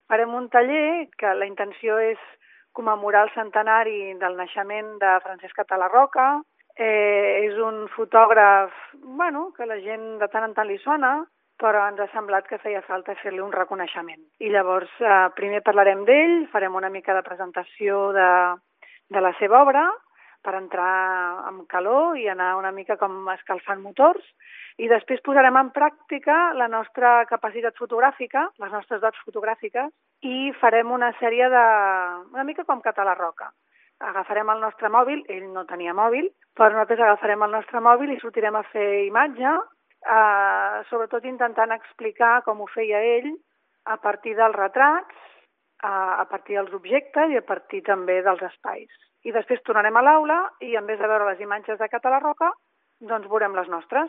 Farem un taller que la intenció és commemorar el centenari del naixement de Francesc Català Roca. És un fotògraf, que la gent de tant en tant li sona, però ens ha semblat que feia falta fer-li un reconeixement. I llavors primer parlarem d'ell, farem una mica de presentació de la seva obra per entrar amb calor i anar una mica com escalfant motors, i després posarem en pràctica la nostra capacitat fotogràfica, les nostres dots fotogràfiques, i farem una sèrie una mica com Català Roca. Agafarem el nostre mòbil, ell no tenia mòbil, però nosaltres agafarem el nostre mòbil i sortirem a fer imatge, sobretot intentant explicar com ho feia ell a partir dels retrats, a partir dels objectes i a partir també dels espais. I després tornarem a l'aula i en vez de veure les imatges de Català Roca, doncs veurem les nostres.